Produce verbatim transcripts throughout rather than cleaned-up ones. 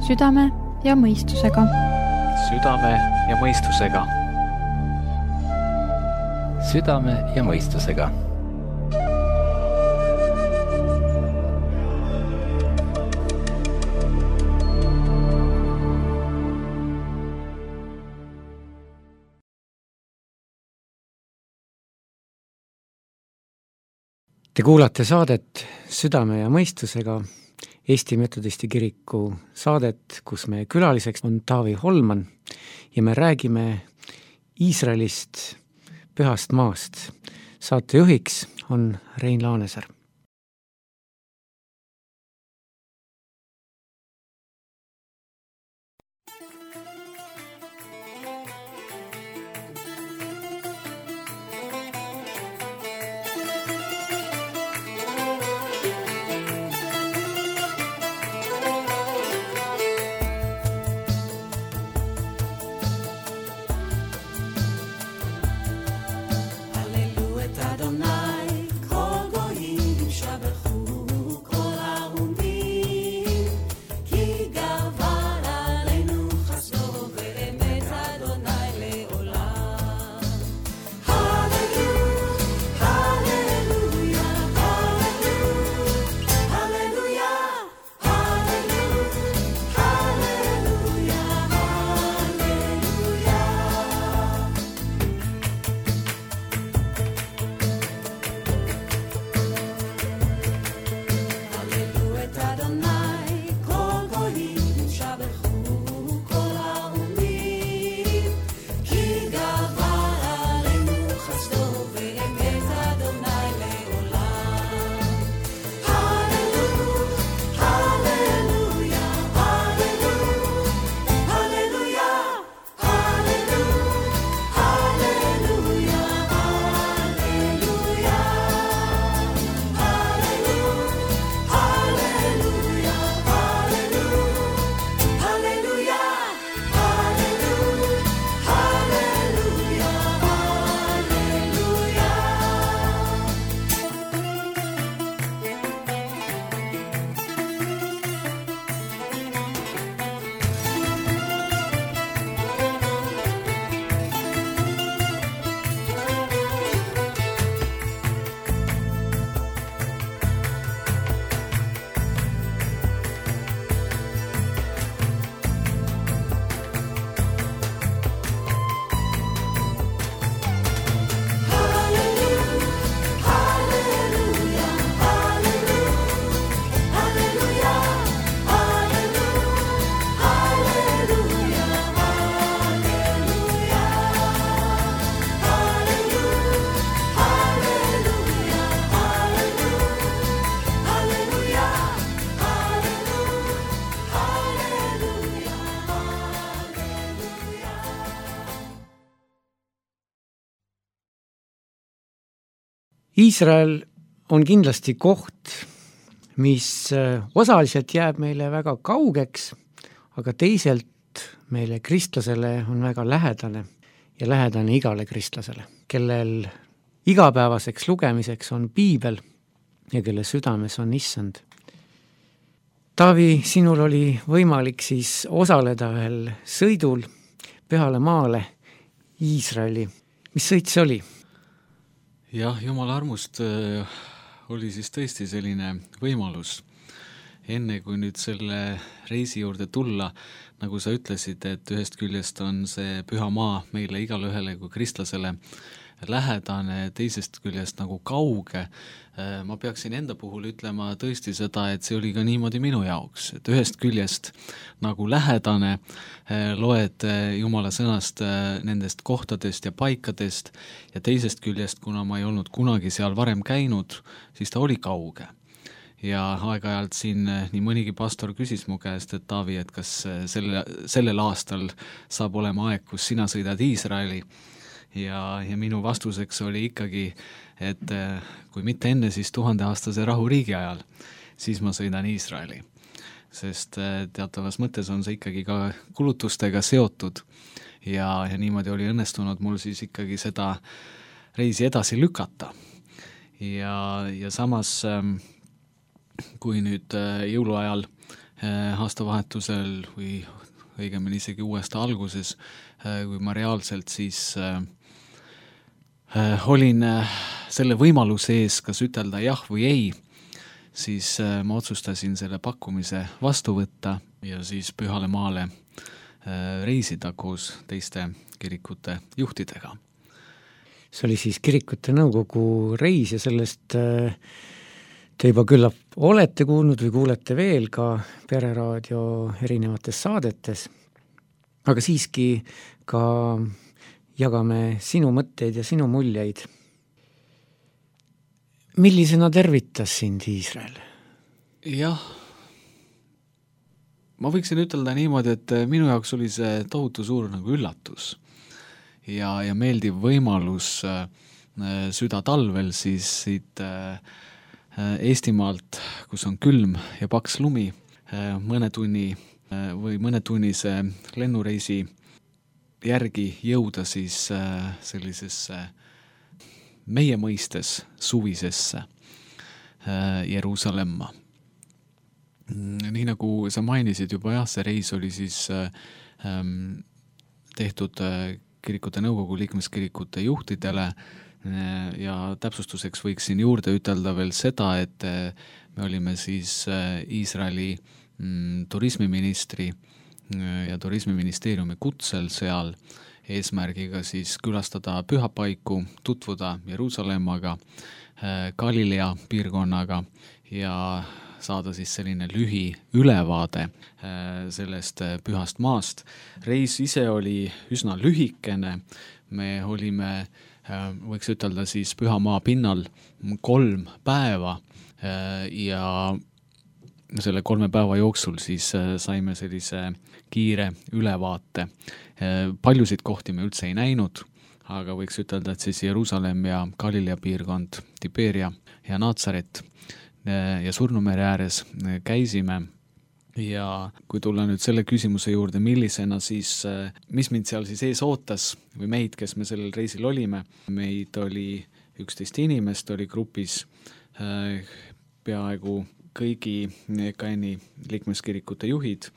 Südame ja mõistusega. Südame ja mõistusega. Südame ja mõistusega. Te kuulate saadet Südame ja mõistusega, Eesti Metodisti Kiriku saadet, kus meie külaliseks on Taavi Holman ja me räägime Iisraelist, pühast maast. Saatejuhiks on Rein Laanesaar. Iisrael on kindlasti koht, mis osaliselt jääb meile väga kaugeks, aga teisalt meile kristlasele on väga lähedane ja lähedane igale kristlasele, kellel igapäevaseks lugemiseks on piibel ja kelle südames on issand. Taavi, sinul oli võimalik siis osaleda ühel sõidul pühale maale Iisraeli. Mis sõit see oli? Jah, Jumala armust äh, oli siis tõesti selline võimalus. Enne kui nüüd selle reisi juurde tulla, nagu sa ütlesid, et ühest küljest on see püha maa meile igale ühele kui kristlasele lähedane, teisest küljest nagu kauge. Ma peaksin enda puhul ütlema tõesti seda, et see oli ka niimoodi minu jaoks, et ühest küljest nagu lähedane loed Jumala sõnast nendest kohtadest ja paikadest ja teisest küljest, kuna ma ei olnud kunagi seal varem käinud, siis ta oli kauge. Ja aeg-ajalt siin nii mõnigi pastor küsis mu käest, et Taavi, et kas selle, sellel aastal saab olema aeg, kus sina sõidad Iisraeli. Ja, ja minu vastuseks oli ikkagi, et kui mitte enne, siis tuhandeaastase rahuriigi ajal, siis ma sõidan Iisraeli. Sest teatavas mõttes on see ikkagi ka kulutustega seotud ja, ja niimoodi oli õnnestunud mul siis ikkagi seda reisi edasi lükata. Ja, ja samas, kui nüüd jõuluajal aastavahetusel või õigemini isegi uuesta alguses, kui ma reaalselt siis äh, olin selle võimaluse ees, kas ütelda jah või ei, siis äh, ma otsustasin selle pakkumise vastu võtta ja siis Pühale Maale äh, reisida koos teiste kirikute juhtidega. See oli siis kirikute nõukogu reis ja sellest äh, te juba küllap olete kuulnud või kuulete veel ka Pereraadio erinevates saadetes, aga siiski ka jagame sinu mõtteid ja sinu muljeid. Millisena tervitas sind Iisrael? Jah, ma võiksin ütelda niimoodi, et minu jaoks oli see tohutu suur nagu üllatus ja, ja meeldiv võimalus äh, süda talvel siis siit äh, Eestimaalt, kus on külm ja paks lumi, mõne tunni või mõne tunnise lennureisi järgi jõuda siis sellisesse meie mõistes suvisesse Jeruusalemma. Nii nagu sa mainisid juba, jah, see reis oli siis tehtud kirikute nõukogu liikmeskirikute juhtidele ja täpsustuseks võiksin juurde ütelda veel seda, et me olime siis Iisraeli turismiministri ja turismiministeeriumi kutsel seal eesmärgiga siis külastada pühapaiku, tutvuda Jeruusalemmaga, Galilea piirkonnaga ja saada siis selline lühi ülevaade sellest pühast maast. Reis ise oli üsna lühikene, me olime võiks ütelda siis Püha Maa pinnal kolm päeva ja selle kolme päeva jooksul siis saime sellise kiire ülevaate. Paljusid kohti me üldse ei näinud, aga võiks ütelda, et siis Jeruusalemm ja Galilea piirkond, Tiberia ja Naatsaret ja Surnumere ääres käisime. Ja kui tulla nüüd selle küsimuse juurde, millisena siis, mis mind seal siis ees ootas või meid, kes me sellel reisil olime, meid oli üksteist inimest, oli grupis peaaegu kõigi E K N-i liikmeskirikute juhid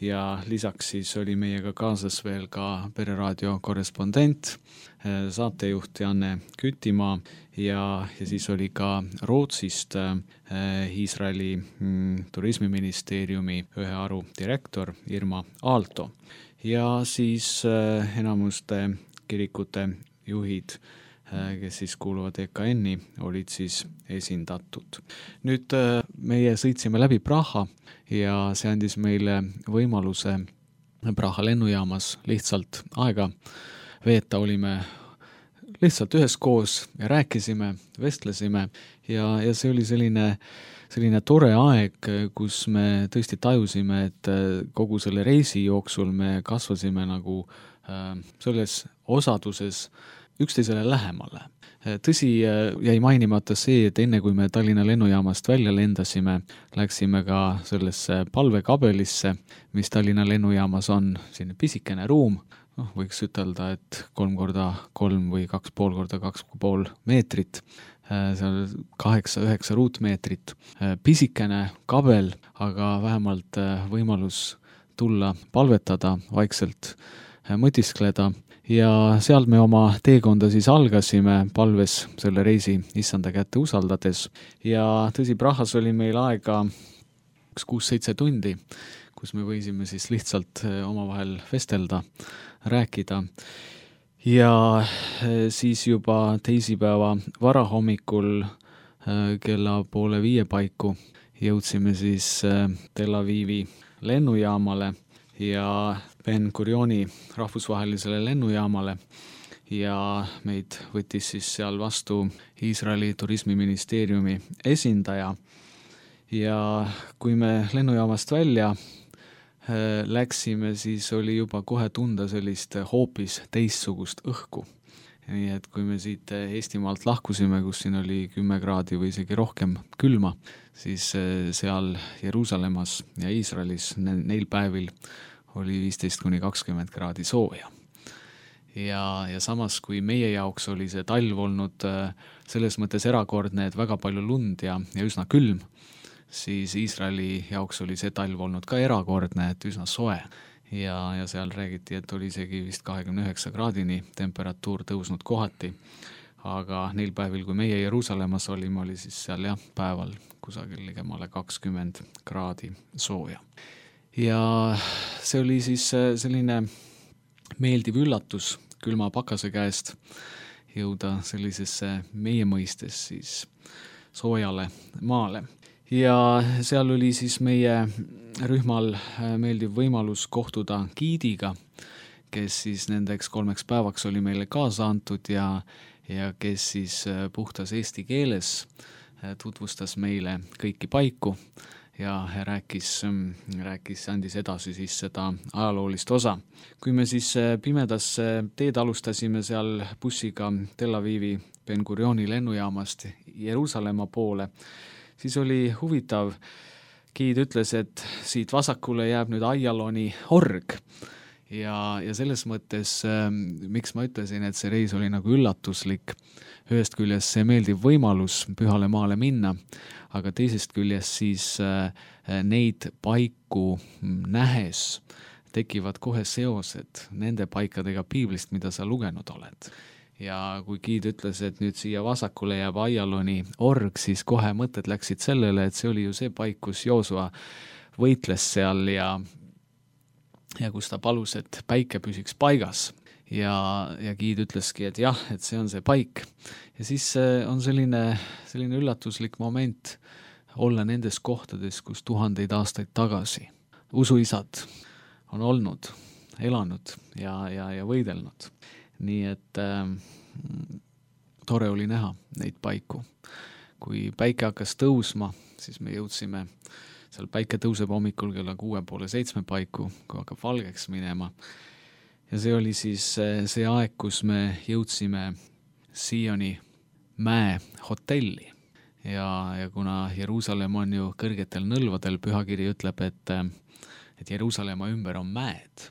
ja lisaks siis oli meiega kaasas veel ka Pereraadio korrespondent, saatejuht Janne Kütimaa ja, ja siis oli ka Rootsist Iisraeli mm, turismiministeeriumi ühe aru direktor Irma Aalto ja siis enamuste kirikute juhid, kes siis kuuluvad E K N-i, olid siis esindatud. Nüüd meie sõitsime läbi Praha ja see andis meile võimaluse Praha lennujaamas lihtsalt aega veeta, olime lihtsalt üheskoos ja rääkisime, vestlesime ja, ja see oli selline, selline tore aeg, kus me tõesti tajusime, et kogu selle reisi jooksul me kasvasime nagu äh, selles osaduses üksteisele lähemale. Tõsi, jäi mainimata see, et enne kui me Tallinna lennujaamast välja lendasime, läksime ka sellesse palvekabelisse, mis Tallinna lennujaamas on, selline pisikene ruum, noh, võiks ütelda, et kolm korda kolm või kaks pool korda kaks pool meetrit, seal kaheksa, üheksa ruutmeetrit, pisikene kabel, aga vähemalt võimalus tulla palvetada, vaikselt mõtiskleda. Ja seal me oma teekonda siis algasime palves selle reisi issanda kätte usaldades ja tõsi, Prahas oli meil aega kuus-seitse tundi, kus me võisime siis lihtsalt omavahel vestelda, rääkida ja siis juba teisipäeva varahommikul kella poole viie paiku jõudsime siis Tel Avivi lennujaamale ja Ben Gurioni rahvusvahelisele lennujaamale ja meid võttis siis seal vastu Iisraeli turismiministeeriumi esindaja ja kui me lennujaamast välja läksime, siis oli juba kohe tunda sellist hoopis teistsugust õhku. Nii et kui me siit Eestimaalt lahkusime, kus siin oli kümme kraadi või isegi rohkem külma, siis seal Jeruusalemmas ja Iisraelis neil päevil oli viisteist kuni kakskümmend kraadi sooja. Ja, ja samas, kui meie jaoks oli see talv olnud selles mõttes erakordne, et väga palju lund ja, ja üsna külm, siis Iisraeli jaoks oli see talv olnud ka erakordne, et üsna soe. Ja, ja seal räägiti, et oli isegi vist kahekümne üheksa kraadini temperatuur tõusnud kohati, aga neil päevil, kui meie Jeruusalemmas olime, oli siis seal jah, päeval kusagil ligemale kakskümmend kraadi sooja. Ja see oli siis selline meeldiv üllatus külma pakase käest jõuda sellisesse meie mõistes siis soojale maale. Ja seal oli siis meie rühmal meeldiv võimalus kohtuda giidiga, kes siis nendeks kolmeks päevaks oli meile kaasa antud ja, ja kes siis puhtas eesti keeles tutvustas meile kõiki paiku ja rääkis, rääkis, andis edasi siis seda ajaloolist osa. Kui me siis pimedas teed alustasime seal bussiga Tel Avivi Ben Gurioni lennujaamast Jeruusalemma poole, siis oli huvitav, giid ütles, et siit vasakule jääb nüüd Aialoni org ja, ja selles mõttes, miks ma ütlesin, et see reis oli nagu üllatuslik, ühest küljest see meeldiv võimalus pühale maale minna, aga teisest küljest siis neid paiku nähes tekivad kohe seosed nende paikadega piiblist, mida sa lugenud oled. Ja kui giid ütles, et nüüd siia vasakule jääb Aialoni org, siis kohe mõtted läksid sellele, et see oli ju see paik, kus Joosua võitles seal ja, ja kus ta palus, et päike püsiks paigas. Ja, ja giid ütleski, et jah, et see on see paik. Ja siis on selline, selline üllatuslik moment olla nendes kohtades, kus tuhandeid aastaid tagasi usuisad on olnud, elanud ja, ja, ja võidelnud. Nii et äh, tore oli näha neid paiku. Kui päike hakkas tõusma, siis me jõudsime, seal päike tõuseb hommikul kella kuue poole seitsme paiku, kui hakkab valgeks minema. Ja see oli siis see aeg, kus me jõudsime Sioni mäe hotelli. Ja, ja kuna Jeruusalemm on ju kõrgetel nõlvadel, pühakiri ütleb, et, et Jeruusalemma ümber on mäed.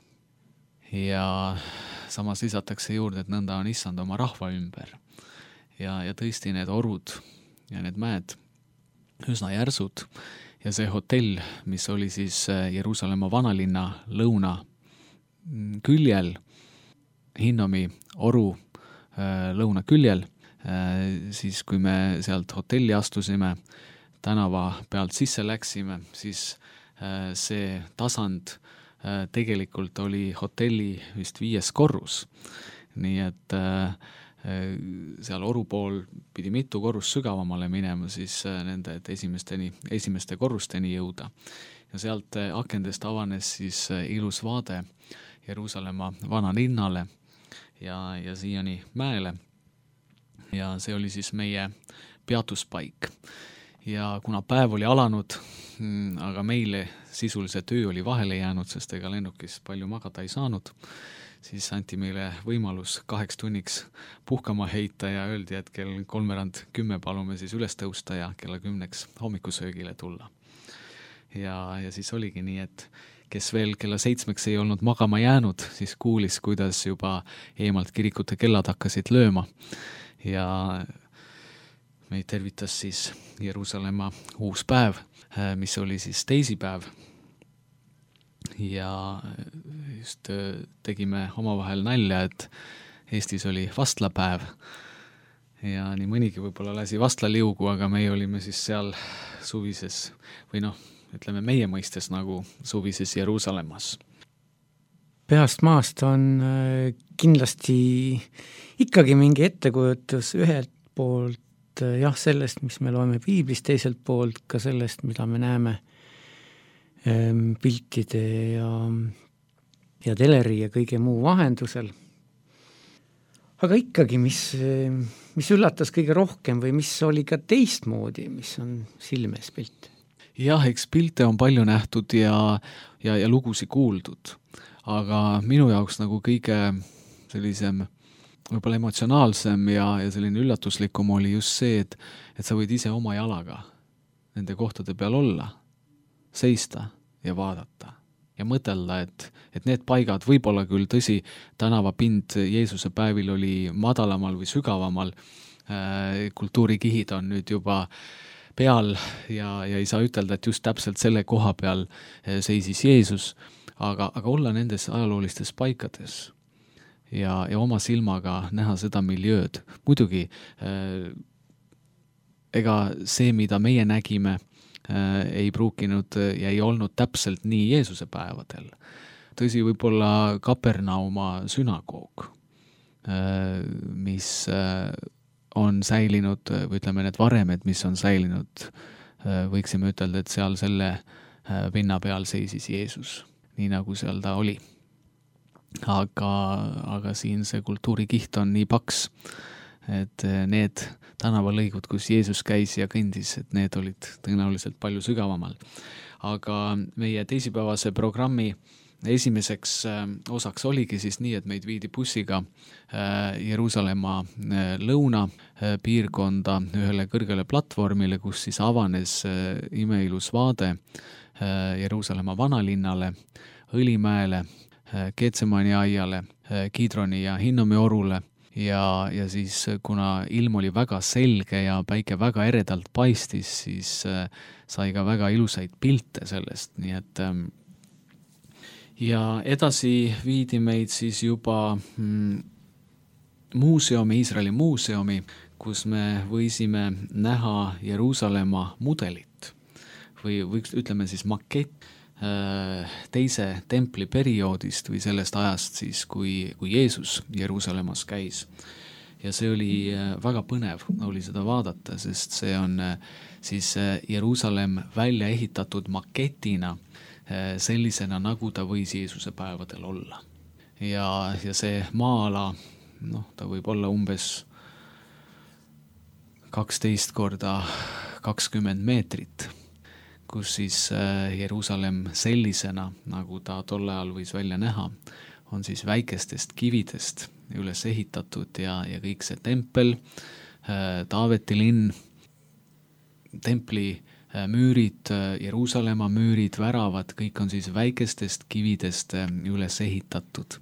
Ja samas lisatakse juurde, et nõnda on issand oma rahva ümber. Ja, ja tõesti need orud ja need mäed üsna järsud. Ja see hotell, mis oli siis Jeruusalemma vanalinna lõuna küljel, Hinnomi oru lõuna küljel, siis kui me sealt hotelli astusime, tänava pealt sisse läksime, siis see tasand tegelikult oli hotelli vist viies korrus. Nii et seal oru pool pidi mitu korrus sügavamale minema siis nende esimesteni, esimeste korrusteni jõuda. Ja sealt akendest avanes siis ilus vaade Jeruusalemma vanalinnale ja, ja Sioni mäele. Ja see oli siis meie peatuspaik. Ja kuna päev oli alanud, aga meile sisulise töö oli vahele jäänud, sest ega lennukis palju magada ei saanud, siis anti meile võimalus kaheks tunniks puhkama heita ja öeldi, et kell kolmerand kümme palume siis üles tõusta ja kella kümneks hommikusöögile tulla. Ja, ja siis oligi nii, et kes veel kella seitsmeks ei olnud magama jäänud, siis kuulis, kuidas juba eemalt kirikute kellad hakkasid lööma. Ja meid tervitas siis Jeruusalemma uus päev, mis oli siis teisipäev. Ja just tegime omavahel nalja, et Eestis oli vastlapäev. Ja nii mõnigi võib-olla lasi vastla liugu, aga meie olime siis seal suvises, või noh, ütleme meie mõistes nagu suvises Jeruusalemmas. Peast maast on kindlasti ikkagi mingi ettekujutus ühelt poolt jah, sellest, mis me loeme piiblist, teiselt poolt ka sellest, mida me näeme piltide ja, ja teleri ja kõige muu vahendusel. Aga ikkagi, mis, mis üllatas kõige rohkem või mis oli ka teistmoodi, mis on silmes pilt? Jah, eks pilte on palju nähtud ja, ja, ja lugusi kuuldud, aga minu jaoks nagu kõige sellisem võib-olla emotsionaalsem ja, ja selline üllatuslikum oli just see, et, et sa võid ise oma jalaga nende kohtade peal olla, seista ja vaadata ja mõtelda, et, et need paigad võib-olla küll tõsi, tänavapind Jeesuse päevil oli madalamal või sügavamal, kultuurikihid on nüüd juba peal ja, ja ei saa ütelda, et just täpselt selle koha peal seisis Jeesus, aga, aga olla nendes ajaloolistes paikades ja, ja oma silmaga näha seda miljööd. Muidugi, ega see, mida meie nägime, ei pruukinud ja ei olnud täpselt nii Jeesuse päevadel. Tõsi, võib-olla Kapernauma sünagoog, mis on säilinud, või ütleme need varemed, mis on säilinud, võiksime ütelda, et seal selle pinna peal seisis Jeesus, nii nagu seal ta oli. Aga, aga siin see kultuurikiht on nii paks, et need tänavalõigud, kus Jeesus käis ja kõndis, et need olid tõenäoliselt palju sügavamal. Aga meie teisipäevase programmi esimeseks osaks oligi siis nii, et meid viidi bussiga Jeruusalemma lõuna piirkonda ühele kõrgele platvormile, kus siis avanes imeilus vaade Jeruusalemma vanalinnale, Õlimäele, Getsemani aiale, Kidroni ja Hinnomi orule ja, ja siis kuna ilm oli väga selge ja päike väga eredalt paistis, siis sai ka väga ilusaid pilte sellest, nii et ja edasi viidi meid siis juba mm, muuseumi, Iisraeli muuseumi, kus me võisime näha Jeruusalemma mudelit või võiks, ütleme siis makett teise templi perioodist või sellest ajast siis, kui, kui Jeesus Jeruusalemmas käis. Ja see oli väga põnev, oli seda vaadata, sest see on siis Jeruusalemm välja ehitatud maketina sellisena, nagu ta võis Jeesuse päevadel olla. Ja, ja see maa-ala, noh, ta võib olla umbes kaksteist korda kakskümmend meetrit, kus siis Jeruusalemm sellisena, nagu ta tolle ajal võis välja näha, on siis väikestest kividest üles ehitatud ja, ja kõik see tempel, Taaveti linn, templi müürid, Jeruusalemma müürid, väravad, kõik on siis väikestest kividest üles ehitatud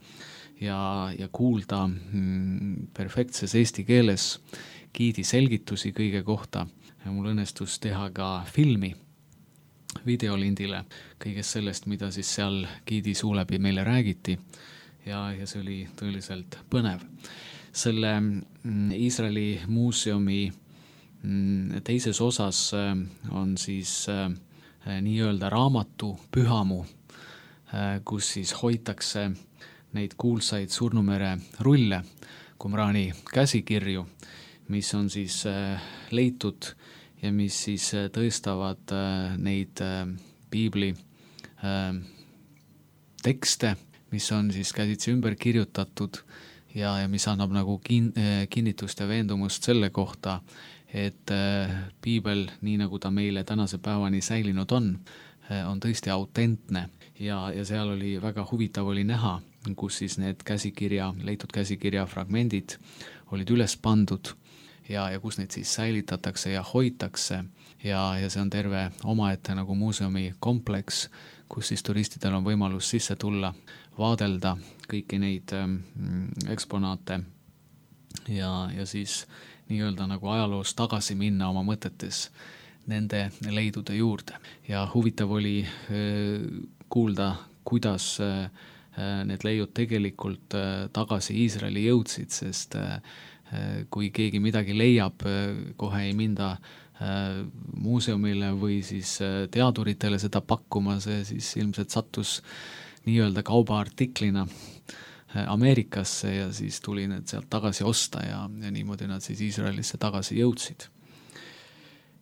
ja, ja kuulda mm, perfektses eesti keeles giidi selgitusi kõige kohta. Ja mul õnnestus teha ka filmi videolindile kõigest sellest, mida siis seal giidi suu läbi meile räägiti ja, ja see oli tõeliselt põnev. Selle Iisraeli muuseumi teises osas on siis nii-öelda raamatu pühamu, kus siis hoitakse neid kuulsaid Surnumere rulle, Qumrani käsikirju, mis on siis leitud ja mis siis tõestavad neid piibli tekste, mis on siis käsitsi ümber kirjutatud ja, ja mis annab nagu kin, kinnitust ja veendumust selle kohta, et piibel, nii nagu ta meile tänase päevani säilinud on, on tõesti autentne ja, ja seal oli väga huvitav oli näha, kus siis need käsikirja, leitud käsikirja fragmendid olid üles pandud ja, ja kus neid siis säilitatakse ja hoitakse ja, ja see on terve omaette nagu muuseumi kompleks, kus siis turistidel on võimalus sisse tulla, vaadelda kõiki neid mm, eksponaate ja, ja siis nii-öelda nagu ajaloos tagasi minna oma mõtetes nende leidude juurde. Ja huvitav oli äh, kuulda, kuidas äh, need leiud tegelikult äh, tagasi Iisraeli jõudsid, sest äh, kui keegi midagi leiab, kohe ei minda muuseumile või siis teaduritele seda pakkuma, see siis ilmselt sattus nii-öelda kaubaartiklina Ameerikasse ja siis tuli need sealt tagasi osta ja, ja niimoodi nad siis Iisraelisse tagasi jõudsid.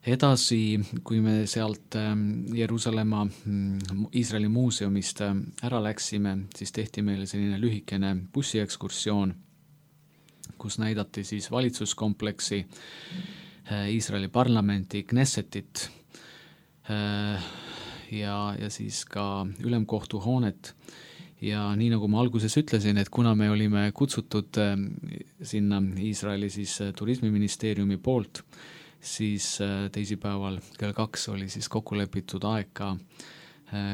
Edasi, kui me sealt Jeruusalemma Iisraeli muuseumist ära läksime, siis tehti meile selline lühikene bussiekskursioon, kus näidati siis valitsuskompleksi, Iisraeli parlamenti, Knessetit ja, ja siis ka ülemkohtu hoonet. Ja nii nagu ma alguses ütlesin, et kuna me olime kutsutud sinna Iisraeli siis turismiministeeriumi poolt, siis teisipäeval kell kaks oli siis kokku lepitud aeg ka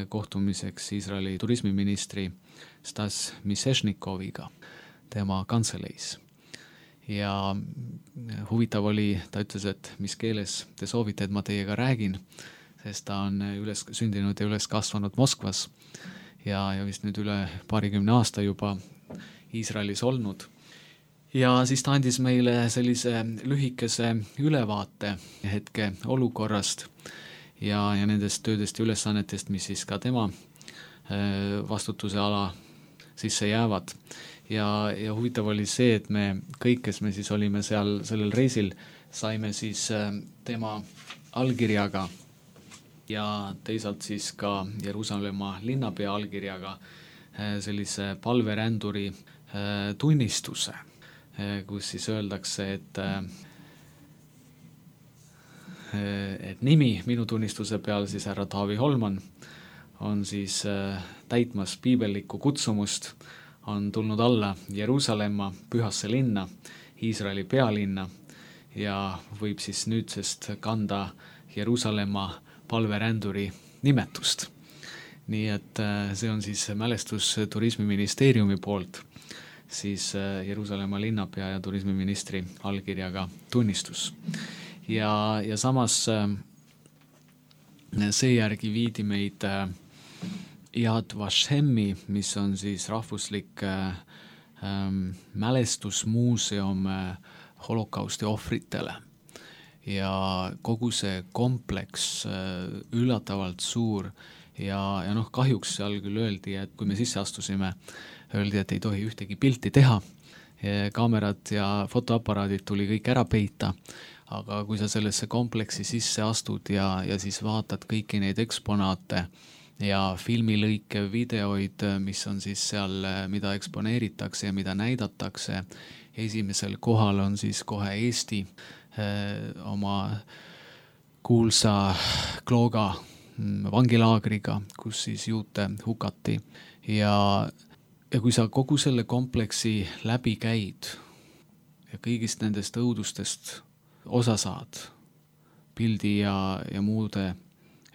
kohtumiseks Iisraeli turismiministri Stas Miseshnikoviga tema kantseleis. ja huvitav oli, ta ütles, et mis keeles te soovite, et ma teiega räägin, sest ta on üles sündinud ja üles kasvanud Moskvas ja, ja vist nüüd üle paarikümne aasta juba Iisraelis olnud. Ja siis ta andis meile sellise lühikese ülevaate hetke olukorrast ja, ja nendest töödest ja ülesannetest, mis siis ka tema vastutuse ala sisse jäävad. Ja, ja huvitav oli see, et me kõik, kes me siis olime seal sellel reisil, saime siis tema allkirjaga ja teisalt siis ka Jeruusalemma linnapea allkirjaga sellise palveränduri tunnistuse, kus siis öeldakse, et, et nimi minu tunnistuse peal siis härra Taavi Holman on siis täitmas piibellikku kutsumust, on tulnud alla Jeruusalemma pühasse linna, Iisraeli pealinna ja võib siis nüüdsest kanda Jeruusalemma palveränduri nimetust. Nii et see on siis mälestus turismiministeeriumi poolt, siis Jeruusalemma linnapea ja turismiministri allkirjaga tunnistus. Ja, ja samas seejärgi viidi meid Yad Vashemi, mis on siis rahvuslik ähm, mälestusmuuseum äh, holokausti ohvritele. Ja kogu see kompleks äh, üllatavalt suur ja, ja noh, kahjuks seal küll öeldi, et kui me sisse astusime, öeldi, et ei tohi ühtegi pilti teha, kaamerad ja fotoaparaadid tuli kõik ära peita, aga kui sa sellesse kompleksi sisse astud ja, ja siis vaatad kõiki neid eksponaate, ja filmilõike, videoid, mis on siis seal, mida eksponeeritakse ja mida näidatakse. Esimesel kohal on siis kohe Eesti eh, oma kuulsa Klooga vangilaagriga, kus siis juute hukati. Ja, ja kui sa kogu selle kompleksi läbi käid ja kõigist nendest õudustest osa saad pildi ja, ja muude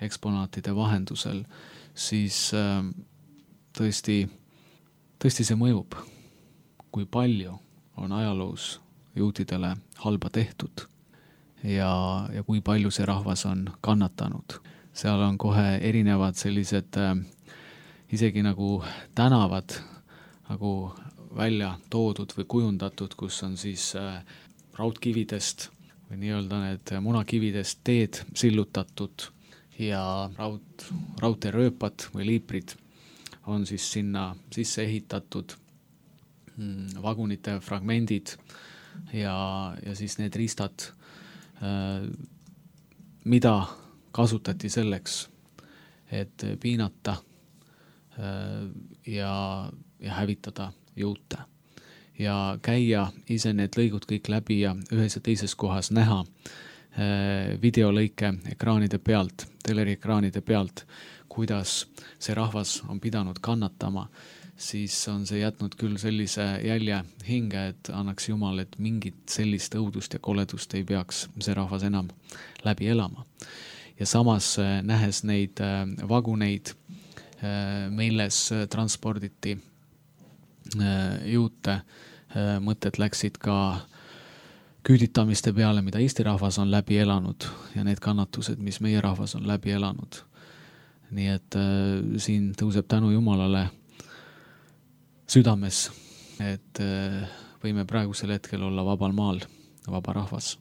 eksponaatide vahendusel, siis äh, tõesti, tõesti see mõjub, kui palju on ajaloos juutidele halba tehtud ja, ja kui palju see rahvas on kannatanud. Seal on kohe erinevad sellised äh, isegi nagu tänavad nagu välja toodud või kujundatud, kus on siis äh, raudkividest või nii-öelda need munakividest teed sillutatud ja raud, raudteerööpad või liiprid on siis sinna sisse ehitatud mm, vagunite fragmendid ja, ja siis need riistad, äh, mida kasutati selleks, et piinata äh, ja, ja hävitada juute. Ja käia ise need lõigud kõik läbi ja ühes ja teises kohas näha videolõike ekraanide pealt, teleriekraanide pealt, kuidas see rahvas on pidanud kannatama, siis on see jätnud küll sellise jälje hinge, et annaks Jumal, et mingit sellist õudust ja koledust ei peaks see rahvas enam läbi elama. Ja samas nähes neid vaguneid, milles transporditi juute, mõtted läksid ka küüditamiste peale, mida Eesti rahvas on läbi elanud ja need kannatused, mis meie rahvas on läbi elanud. Nii et äh, siin tõuseb tänu Jumalale südames, et äh, võime praegusel hetkel olla vabal maal, vaba rahvas.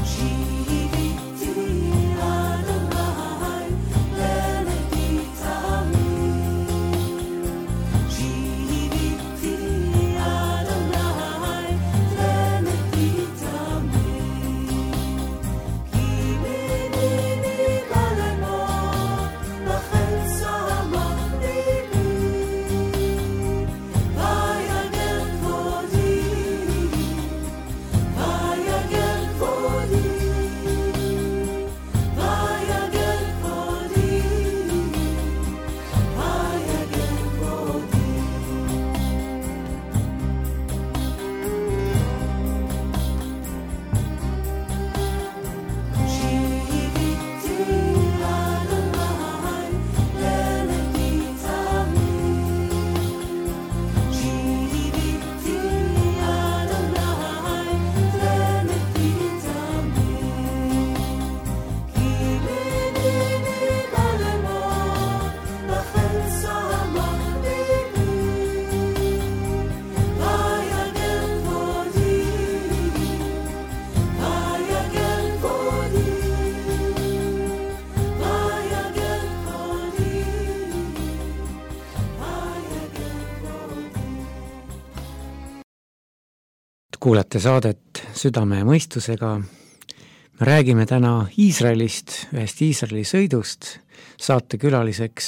She kuulate saadet Südame ja mõistusega. Me räägime täna Iisraelist, ühest Iisraeli sõidust. Saatekülaliseks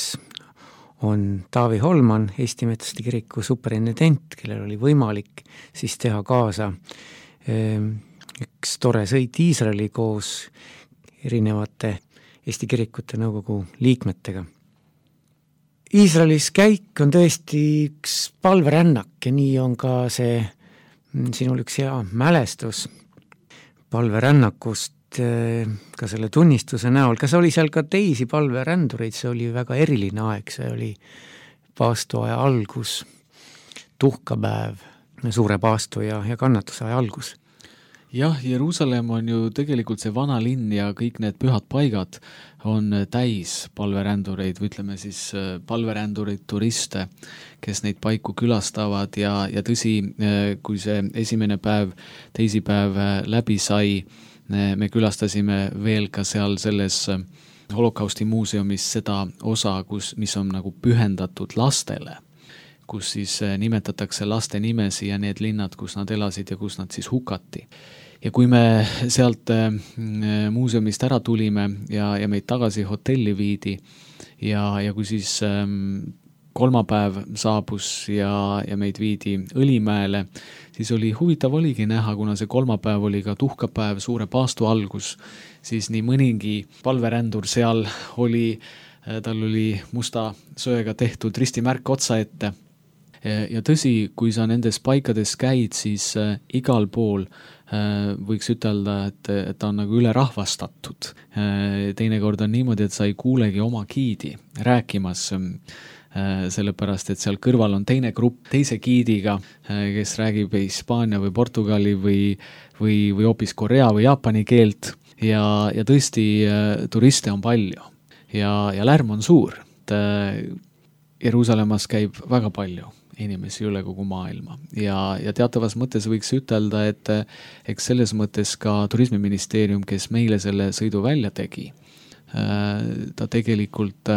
on Taavi Holman, Eesti Metsaste Kiriku superintendent, kellel oli võimalik siis teha kaasa üks tore sõit Iisraeli koos erinevate Eesti Kirikute nõukogu liikmetega. Iisraelis käik on tõesti üks palverännak ja nii on ka see, sinul üks hea mälestus palverännakust ka selle tunnistuse näol. Kas oli seal ka teisi palverändureid? See oli väga eriline aeg, see oli paastuaja algus, tuhkapäev, suure paastu ja, ja kannatuse aja algus. Jah, Jeruusalemm on ju tegelikult see vana linn ja kõik need pühad paigad on täis palverändureid või ütleme siis palverändureid, turiste, kes neid paiku külastavad ja, ja tõsi, kui see esimene päev, teisipäev läbi sai, me külastasime veel ka seal selles holokausti muuseumis seda osa, kus, mis on nagu pühendatud lastele, kus siis nimetatakse laste nimesi ja need linnad, kus nad elasid ja kus nad siis hukati. Ja kui me sealt muuseumist ära tulime ja, ja meid tagasi hotelli viidi ja, ja kui siis kolmapäev saabus ja, ja meid viidi Õlimäele, siis oli huvitav oligi näha, kuna see kolmapäev oli ka tuhkapäev, suure paastu algus, siis nii mõningi palverändur seal oli, tal oli musta söega tehtud ristimärk otsa ette. Ja tõsi, kui sa nendes paikades käid, siis igal pool võiks ütelda, et, et ta on nagu üle rahvastatud. Teinekord on niimoodi, et sa ei kuulegi oma giidi rääkimas, sellepärast, et seal kõrval on teine grupp teise giidiga, kes räägib hispaania või portugali või, või, või hoopis korea või jaapani keelt ja, ja tõesti turiste on palju ja, ja lärm on suur. Jeruusalemmas käib väga palju inimesi üle kogu maailma ja, ja teatavas mõttes võiks ütelda, et eks selles mõttes ka turismiministeerium, kes meile selle sõidu välja tegi, ta tegelikult,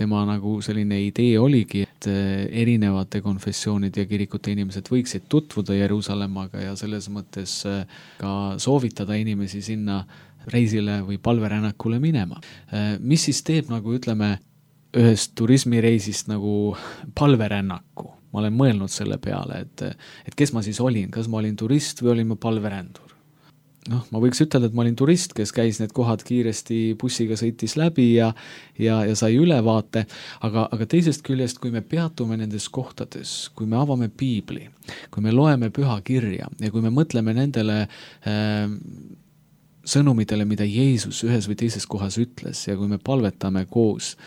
tema nagu selline idee oligi, et erinevate konfessioonide ja kirikute inimesed võiksid tutvuda Jeruusalemmaga ja selles mõttes ka soovitada inimesi sinna reisile või palverännakule minema. Mis siis teeb, nagu ütleme, ühest turismireisist nagu palverännaku. Ma olen mõelnud selle peale, et, et kes ma siis olin, kas ma olin turist või olin ma palverändur. Noh, ma võiks ütelda, et ma olin turist, kes käis need kohad kiiresti bussiga sõitis läbi ja, ja, ja sai ülevaate, aga, aga teisest küljest, kui me peatume nendes kohtades, kui me avame piibli, kui me loeme püha kirja ja kui me mõtleme nendele äh, sõnumitele, mida Jeesus ühes või teises kohas ütles ja kui me palvetame koos,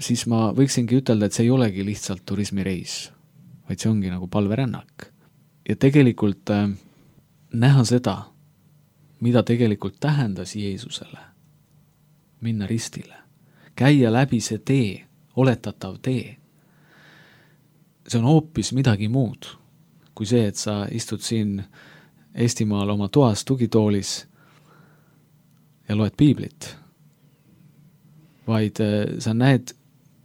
siis ma võiksingi ütelda, et see ei olegi lihtsalt turismireis, vaid see ongi nagu palverännak. Ja tegelikult äh, näha seda, mida tegelikult tähendas Jeesusele minna ristile, käia läbi see tee, oletatav tee. See on hoopis midagi muud kui see, et sa istud siin Eestimaal oma toas tugitoolis ja loed piiblit, vaid sa näed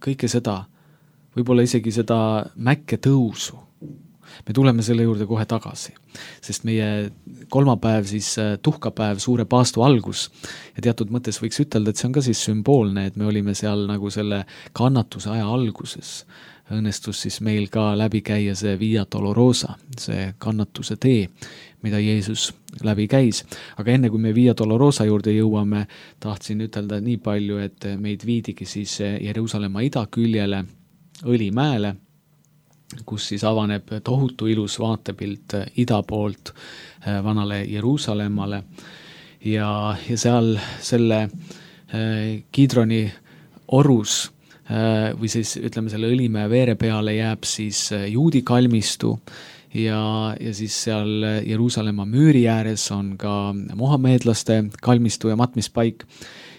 kõike seda, võib-olla isegi seda mäkke tõusu. Me tuleme selle juurde kohe tagasi, sest meie kolmapäev, siis tuhkapäev, suure paastu algus ja teatud mõttes võiks ütelda, et see on ka siis sümboolne, et me olime seal nagu selle kannatuse aja alguses. Õnnestus siis meil ka läbi käia see Via Dolorosa, see kannatuse tee, mida Jeesus läbi käis. Aga enne kui me Via Dolorosa juurde jõuame, tahtsin ütelda nii palju, et meid viidigi siis Jeruusalemma idaküljele Õlimäele, kus siis avaneb tohutu ilus vaatepilt ida poolt vanale Jeruusalemmale ja, ja seal selle Kidroni orus või siis ütleme selle Õlimäe veere peale jääb siis juudi kalmistu ja, ja siis seal Jeruusalemma müüri ääres on ka mohameedlaste kalmistu ja matmispaik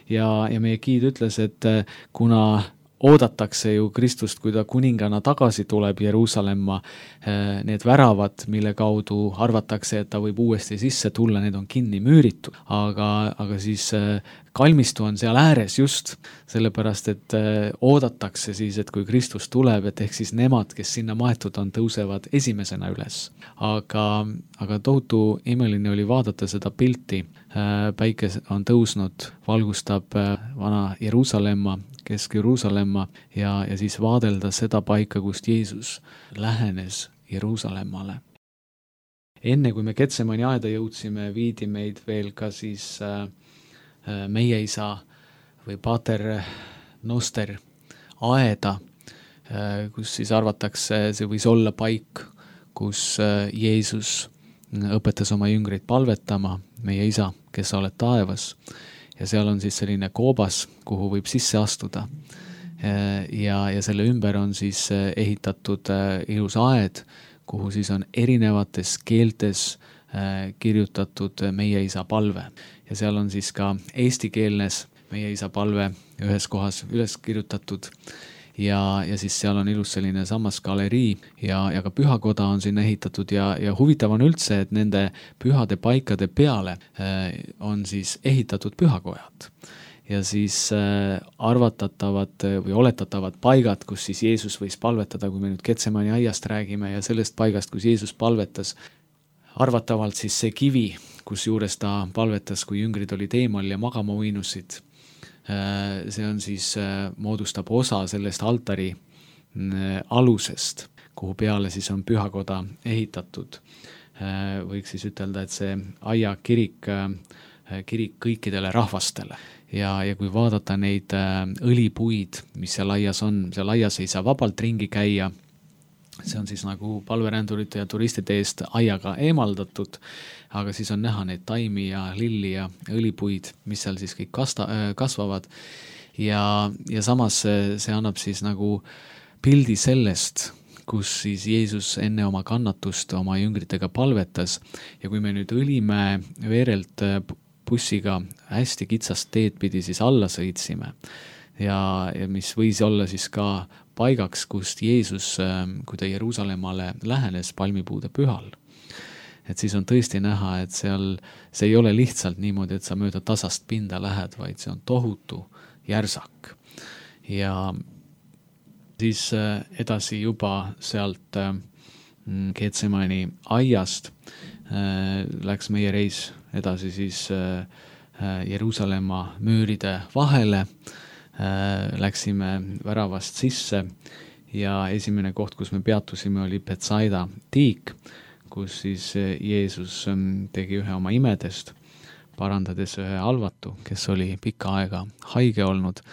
ja, ja meie giid ütles, et kuna oodatakse ju Kristust, kui ta kuningana tagasi tuleb Jeruusalemma, need väravad, mille kaudu arvatakse, et ta võib uuesti sisse tulla, need on kinni müüritud, aga, aga siis kalmistu on seal ääres just, sellepärast et oodatakse siis, et kui Kristus tuleb, et ehk siis nemad, kes sinna maetud on, tõusevad esimesena üles. Aga, aga tohutu imeline oli vaadata seda pilti, päike on tõusnud, valgustab vana Jeruusalemma, Kesk-Jeruusalemma ja, ja siis vaadelda seda paika, kust Jeesus lähenes Jeruusalemmale. Enne kui me Getsemani aeda jõudsime, viidi meid veel ka siis äh, meie isa või Pater Noster aeda, äh, kus siis arvatakse, see võis olla paik, kus äh, Jeesus õpetas oma jüngreid palvetama, meie isa, kes sa oled taevas. Ja seal on siis selline koobas, kuhu võib sisse astuda. Ja, ja selle ümber on siis ehitatud ilus aed, kuhu siis on erinevates keeltes kirjutatud meie isa palve. Ja seal on siis ka eestikeelnes meie isa palve ühes kohas üles kirjutatud. Ja, ja siis seal on ilus selline sammas galerii ja, ja ka pühakoda on sinna ehitatud ja, ja huvitav on üldse, et nende pühade paikade peale äh, on siis ehitatud pühakojad. Ja siis äh, arvatatavad või oletatavad paigad, kus siis Jeesus võis palvetada, kui me nüüd Getsemani aiast räägime ja sellest paigast, kus Jeesus palvetas, arvatavalt siis see kivi, kus juures ta palvetas, kui jüngrid olid eemal ja magama uinusid. See on siis, moodustab osa sellest altari alusest, kuhu peale siis on pühakoda ehitatud. Võiks siis ütelda, et see aia kirik, kirik kõikidele rahvastele. Ja, ja kui vaadata neid õlipuid, mis seal aias on, seal aias ei saa vabalt ringi käia, see on siis nagu palverändurite ja turistide eest aiaga eemaldatud, aga siis on näha neid taimi ja lilli ja õlipuid, mis seal siis kõik kasta, kasvavad. Ja, ja samas see annab siis nagu pildi sellest, kus siis Jeesus enne oma kannatust oma jüngritega palvetas. Ja kui me nüüd Õlimäe veerelt bussiga hästi kitsast teed pidi siis alla sõitsime ja, ja mis võis olla siis ka paigaks, kust Jeesus, kui ta Jeruusalemmale lähenes palmipuude pühal. Et siis on tõesti näha, et seal see ei ole lihtsalt niimoodi, et sa mööda tasast pinda lähed, vaid see on tohutu järsak. Ja siis edasi juba sealt Getsemani aiast läks meie reis edasi siis Jeruusalemma müüride vahele. Läksime väravast sisse ja esimene koht, kus me peatusime, oli Betsaida tiik, kus siis Jeesus tegi ühe oma imedest, parandades ühe halvatu, kes oli pikka aega haige olnud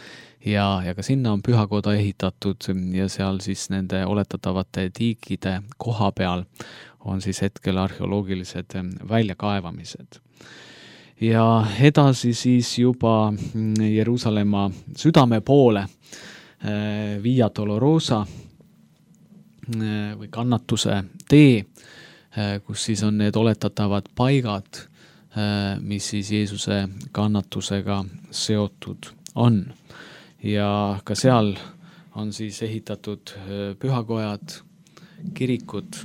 ja, ja ka sinna on pühakoda ehitatud ja seal siis nende oletatavate tiikide koha peal on siis hetkel arheoloogilised väljakaevamised. Ja edasi siis juba Jeruusalemma südame poole Via Dolorosa või kannatuse tee, kus siis on need oletatavad paigad, mis siis Jeesuse kannatusega seotud on. Ja ka seal on siis ehitatud pühakojad, kirikud.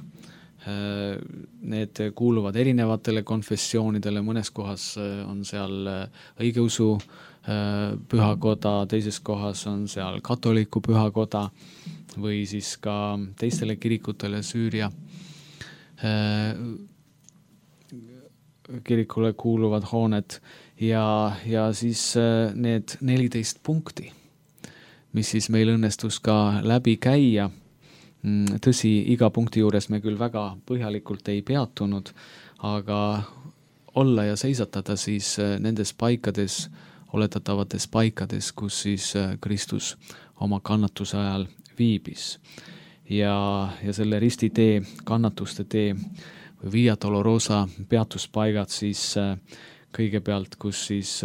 Need kuuluvad erinevatele konfessioonidele, mõnes kohas on seal õigeusu pühakoda, teises kohas on seal katoliku pühakoda või siis ka teistele kirikutele Süüria kirikule kuuluvad hooned ja, ja siis need neliteist punkti, mis siis meil õnnestus ka läbi käia. Tõsi, iga punkti juures me küll väga põhjalikult ei peatunud, aga olla ja seisatada siis nendes paikades, oletatavates paikades, kus siis Kristus oma kannatuse ajal viibis. Ja, ja selle ristitee, kannatuste tee või Via Dolorosa peatuspaigad siis kõigepealt, kus siis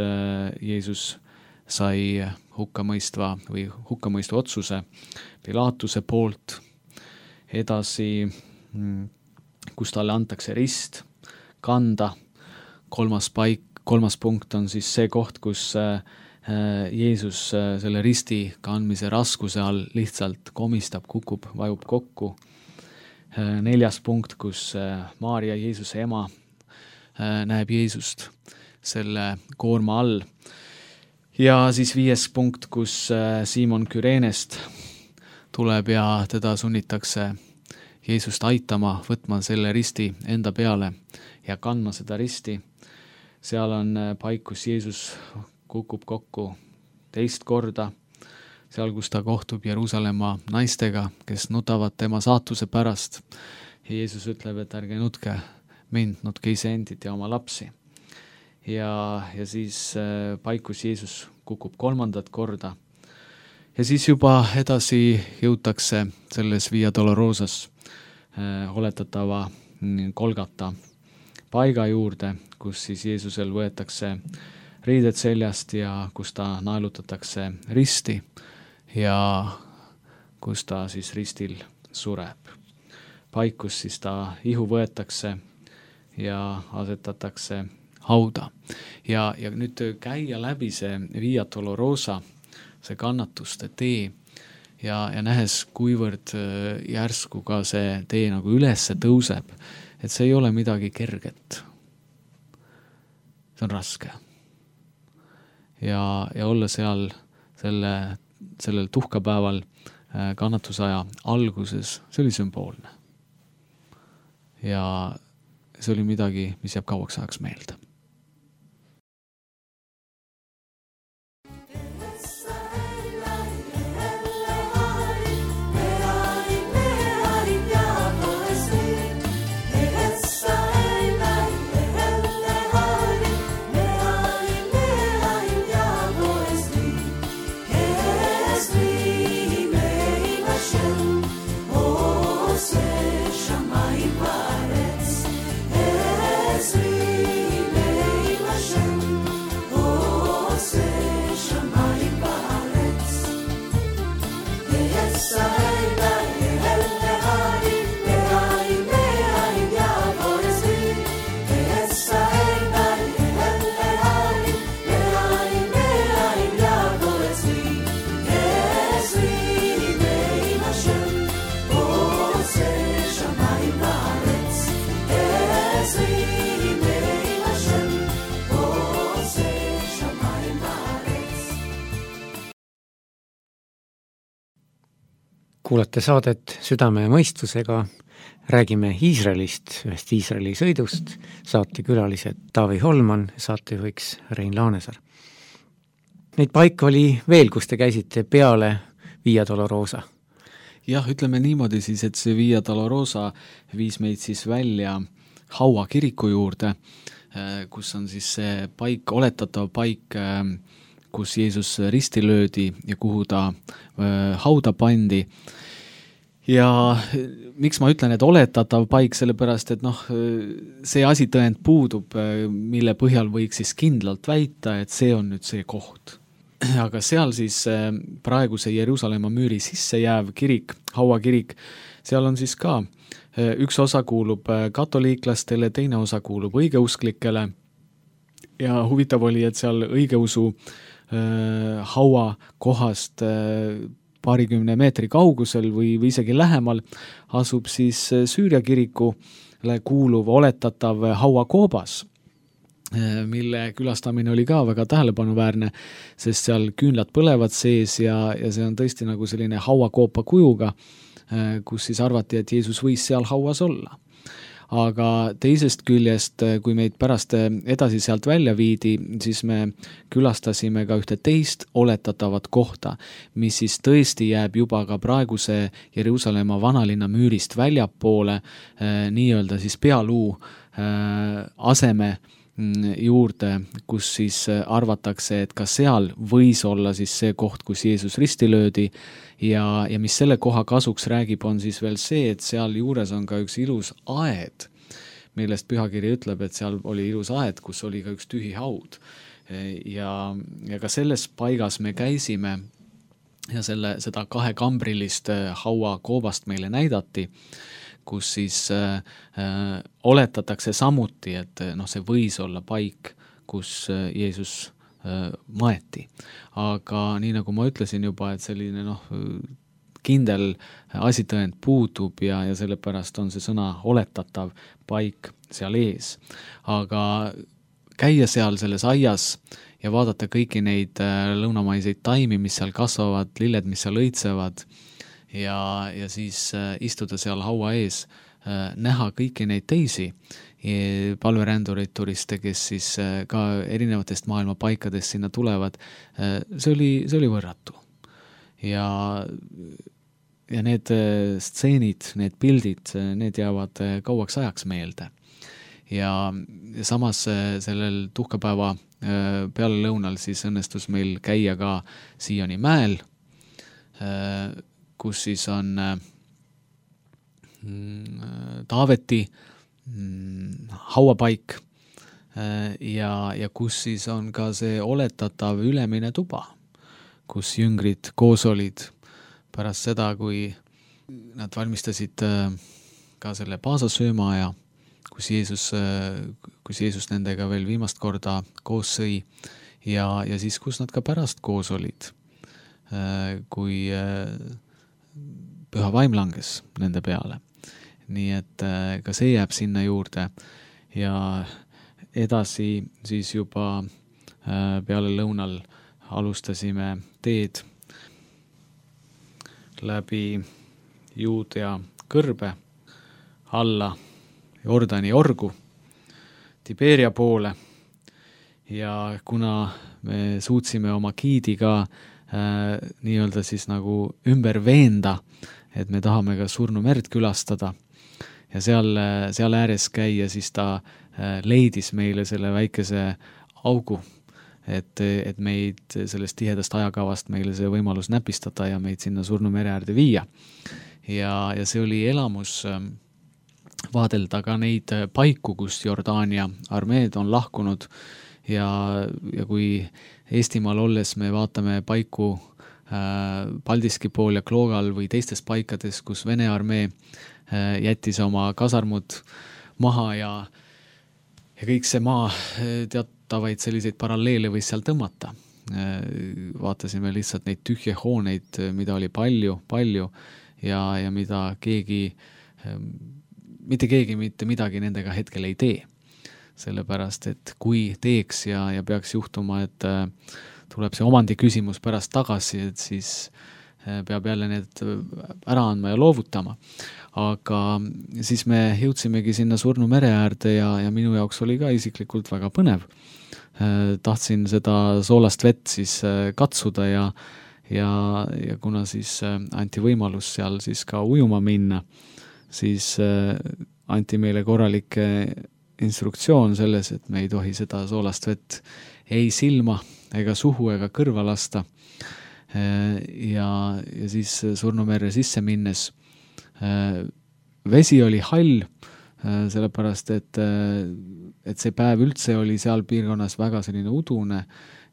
Jeesus sai hukkamõistva või hukkamõistva otsuse Pilaatuse poolt, edasi, kus talle antakse rist kanda, kolmas paik, kolmas punkt on siis see koht, kus Jeesus selle risti kandmise raskuse all lihtsalt komistab, kukub, vajub kokku. Neljas punkt, kus Maarja, Jeesuse ema, näeb Jeesust selle koorma all. Ja siis viies punkt, kus Simon Küreenest tuleb ja teda sunnitakse Jeesust aitama, võtma selle risti enda peale ja kandma seda risti. Seal on paik, kus Jeesus kukub kokku teist korda, seal, kus ta kohtub Jeruusalemma naistega, kes nutavad tema saatuse pärast. Ja Jeesus ütleb, et ärge nutke mind, nutke iseendid ja oma lapsi. Ja, ja siis paik, kus Jeesus kukub kolmandat korda. Ja siis juba edasi jõutakse selles Via Dolorosas oletatava Golgata paiga juurde, kus siis Jeesusel võetakse riided seljast ja kus ta naelutatakse risti ja kus ta siis ristil sureb. Paik, kus siis ta ihu võetakse ja asetatakse hauda. Ja, ja nüüd käia läbi see Via Dolorosa, see kannatuste tee ja, ja nähes, kuivõrd järsku ka see tee nagu ülesse tõuseb, et see ei ole midagi kerget. See on raske. Ja, ja olla seal selle, sellel tuhkapäeval kannatusaja alguses, see oli sümboolne. Ja see oli midagi, mis jääb kauaks ajaks meelde. Kuulate saadet Südame ja mõistusega, räägime Iisraelist, ühest Iisraeli sõidust, saatekülalised Taavi Holman, saatejuhiks Rein Laanesaar. Neid paik oli veel, kus te käisite peale Via Dolorosa? Jah, ütleme niimoodi siis, et see Via Dolorosa viis meid siis välja Haua kiriku juurde, kus on siis see paik, oletatav paik, kus Jeesus risti löödi ja kuhu ta hauda pandi. Ja miks ma ütlen, et oletatav paik, sellepärast, et noh, see asi tõend puudub, mille põhjal võiks siis kindlalt väita, et see on nüüd see koht. Aga seal siis praeguse Jeruusalemma müüri sisse jääv kirik, Haua kirik, seal on siis ka üks osa kuulub katoliiklastele, teine osa kuulub õigeusklikele ja huvitav oli, et seal õigeusu Haua kohast paarikümne meetri kaugusel või, või isegi lähemal asub siis Süüria kirikule kuuluv oletatav Haua koobas, mille külastamine oli ka väga tähelepanuväärne, sest seal küünlad põlevad sees ja, ja see on tõesti nagu selline Haua koopa kujuga, kus siis arvati, et Jeesus võis seal hauas olla. Aga teisest küljest, kui meid pärast edasi sealt välja viidi, siis me külastasime ka ühte teist oletatavat kohta, mis siis tõesti jääb juba ka praeguse Jeruusalemma vanalinna müürist väljapoole, nii-öelda siis pealuu aseme juurde, kus siis arvatakse, et ka seal võis olla siis see koht, kus Jeesus risti löödi ja, ja mis selle koha kasuks räägib, on siis veel see, et seal juures on ka üks ilus aed, millest pühakiri ütleb, et seal oli ilus aed, kus oli ka üks tühi haud. Ja, ja ka selles paigas me käisime ja selle, seda kahekambrilist Haua koobast meile näidati, kus siis äh, oletatakse samuti, et noh, see võis olla paik, kus Jeesus maeti. Aga nii nagu ma ütlesin juba, et selline noh, kindel asitõend puudub ja, ja sellepärast on see sõna oletatav paik seal ees. Aga käia seal selles aias ja vaadata kõiki neid lõunamaiseid taimi, mis seal kasvavad, lilled, mis seal õitsevad ja, ja siis istuda seal haua ees, näha kõiki neid teisi palverändureid, turiste, kes siis ka erinevatest maailma paikadest sinna tulevad, see oli, see oli võrratu. Ja, ja need stseenid, need pildid, need jäävad kauaks ajaks meelde. Ja, ja samas sellel tuhkapäeva peale lõunal siis õnnestus meil käia ka Sioni mäel, kus siis on Taaveti hauapaik ja, ja kus siis on ka see oletatav ülemine tuba, kus jüngrid koos olid pärast seda, kui nad valmistasid ka selle paasasööma ja kus Jeesus, kus Jeesus nendega veel viimast korda koos sõi ja, ja siis, kus nad ka pärast koos olid, kui püha vaim langes nende peale. Nii et ka see jääb sinna juurde ja edasi siis juba peale lõunal alustasime teed läbi Juudea kõrbe alla Jordani orgu Tiberia poole ja kuna me suutsime oma giidi ka äh, nii-öelda siis nagu ümber veenda, et me tahame ka Surnu merd külastada ja seal, seal ääres käia, siis ta leidis meile selle väikese augu, et, et meid sellest tihedast ajakavast meile see võimalus näpistada ja meid sinna Surnu mere äärde viia. Ja, ja see oli elamus vaadelda ka neid paiku, kus Jordaania armeed on lahkunud ja, ja kui Eestimaal olles me vaatame paiku Paldiski pool ja Kloogal või teistes paikades, kus Vene armee jättis oma kasarmud maha ja, ja kõik see maa teatavaid selliseid paralleele võis seal tõmmata. Vaatasime lihtsalt neid tühje hooneid, mida oli palju, palju ja, ja mida keegi, mitte keegi mitte midagi nendega hetkel ei tee. Sellepärast, et kui teeks ja, ja peaks juhtuma, et tuleb see omandi küsimus pärast tagasi, et siis peab jälle need ära andma ja loovutama. Aga siis me jõudsimegi sinna Surnu mere äärde ja, ja minu jaoks oli ka isiklikult väga põnev. Tahtsin seda soolast vett siis katsuda ja, ja, ja kuna siis anti võimalus seal siis ka ujuma minna, siis anti meile korralik instruktsioon selles, et me ei tohi seda soolast vett ei silma ega suhu ega kõrva lasta. Ja, ja siis Surnu merre sisse minnes vesi oli hall, sellepärast, et, et see päev üldse oli seal piirkonnas väga selline udune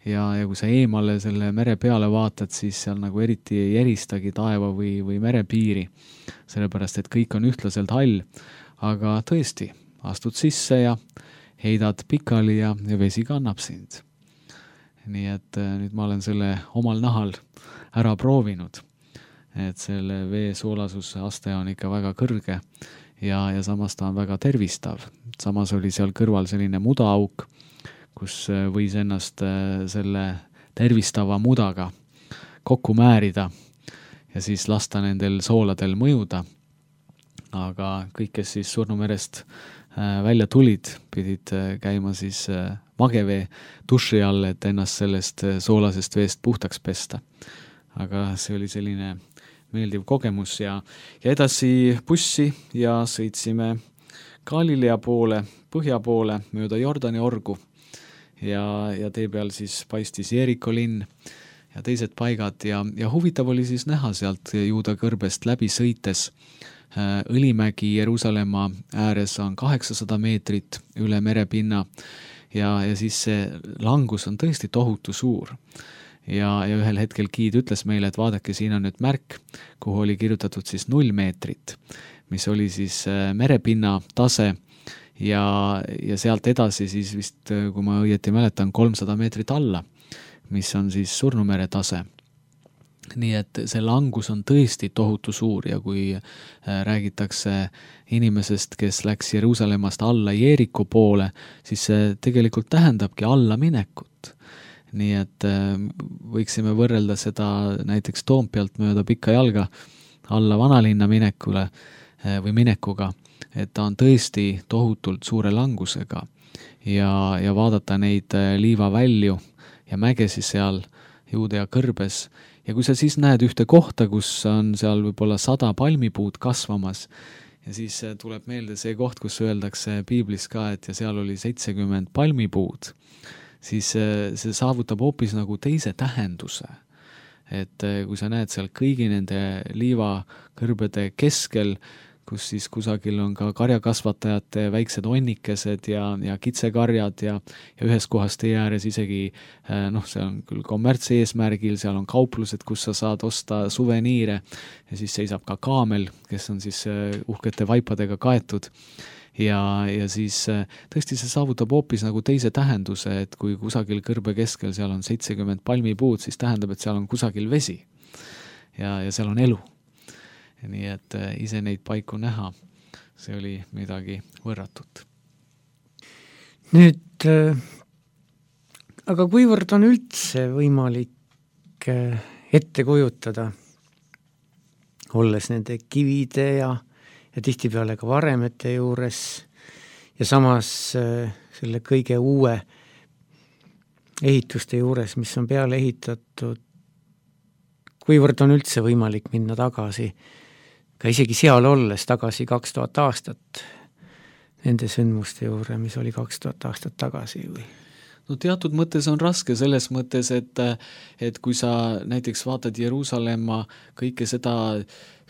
ja, ja kui sa eemale selle mere peale vaatad, siis seal nagu eriti ei eristagi taeva või, või merepiiri, sellepärast, et kõik on ühtlaselt hall, aga tõesti, astud sisse ja heidad pikali ja, ja vesi kannab sind. Nii et nüüd ma olen selle omal nahal ära proovinud, et selle vee soolasuse aste on ikka väga kõrge ja, ja samas ta on väga tervistav. Samas oli seal kõrval selline mudaauk, kus võis ennast selle tervistava mudaga kokku määrida ja siis lasta nendel sooladel mõjuda. Aga kõik, kes siis Surnu merest välja tulid, pidid käima siis magevee duši all, et ennast sellest soolasest veest puhtaks pesta. Aga see oli selline meeldiv kogemus ja, ja edasi bussi ja sõitsime Galilea poole, põhja poole, mööda Jordani orgu ja, ja tee peal siis paistis Jeriko linn ja teised paigad ja, ja huvitav oli siis näha sealt Juuda kõrbest läbi sõites. Õlimägi Jeruusalemma ääres on kaheksasada meetrit üle merepinna ja, ja siis see langus on tõesti tohutu suur. Ja, ja ühel hetkel giid ütles meile, et vaadake, siin on nüüd märk, kuhu oli kirjutatud siis null meetrit, mis oli siis merepinna tase ja, ja sealt edasi siis vist, kui ma õieti mäletan, kolmsada meetrit alla mis on siis Surnumere tase. Nii et see langus on tõesti tohutu suur ja kui räägitakse inimesest, kes läks Jeruusalemmast alla Jeeriku poole, siis see tegelikult tähendabki alla minekut. Nii et võiksime võrrelda seda näiteks Toompealt mööda pikka jalga alla vanalinna minekule või minekuga, et ta on tõesti tohutult suure langusega ja, ja vaadata neid liivavälju ja mägesi seal Juudea kõrbes. Ja kui sa siis näed ühte kohta, kus on seal võib-olla sada palmipuud kasvamas ja siis tuleb meelde see koht, kus öeldakse piiblis ka, et ja seal oli seitsekümmend palmipuud, siis see saavutab hoopis nagu teise tähenduse. Et kui sa näed seal kõigi nende liivakõrbede keskel, kus siis kusagil on ka karjakasvatajate väiksed onnikesed ja, ja kitsekarjad ja, ja ühes kohas tee ääres isegi, noh, see on küll kommertseesmärgil, seal on kauplused, kus sa saad osta suveniire ja siis seisab ka kaamel, kes on siis uhkete vaipadega kaetud. Ja, ja siis tõesti see saavutab hoopis nagu teise tähenduse, et kui kusagil kõrbe keskel seal on seitsekümmend palmipuud, siis tähendab, et seal on kusagil vesi ja, ja seal on elu. Nii et ise neid paiku näha, see oli midagi võrratut. Nüüd, aga kuivõrd on üldse võimalik ette kujutada, olles nende kivide ja ja tihtipeale ka varemete juures ja samas selle kõige uue ehituste juures, mis on peale ehitatud, kuivõrd on üldse võimalik minna tagasi, ka isegi seal olles tagasi kaks tuhat aastat nende sündmuste juurde, mis oli kaks tuhat aastat tagasi või? No teatud mõttes on raske selles mõttes, et, et kui sa näiteks vaatad Jeruusalemma kõike seda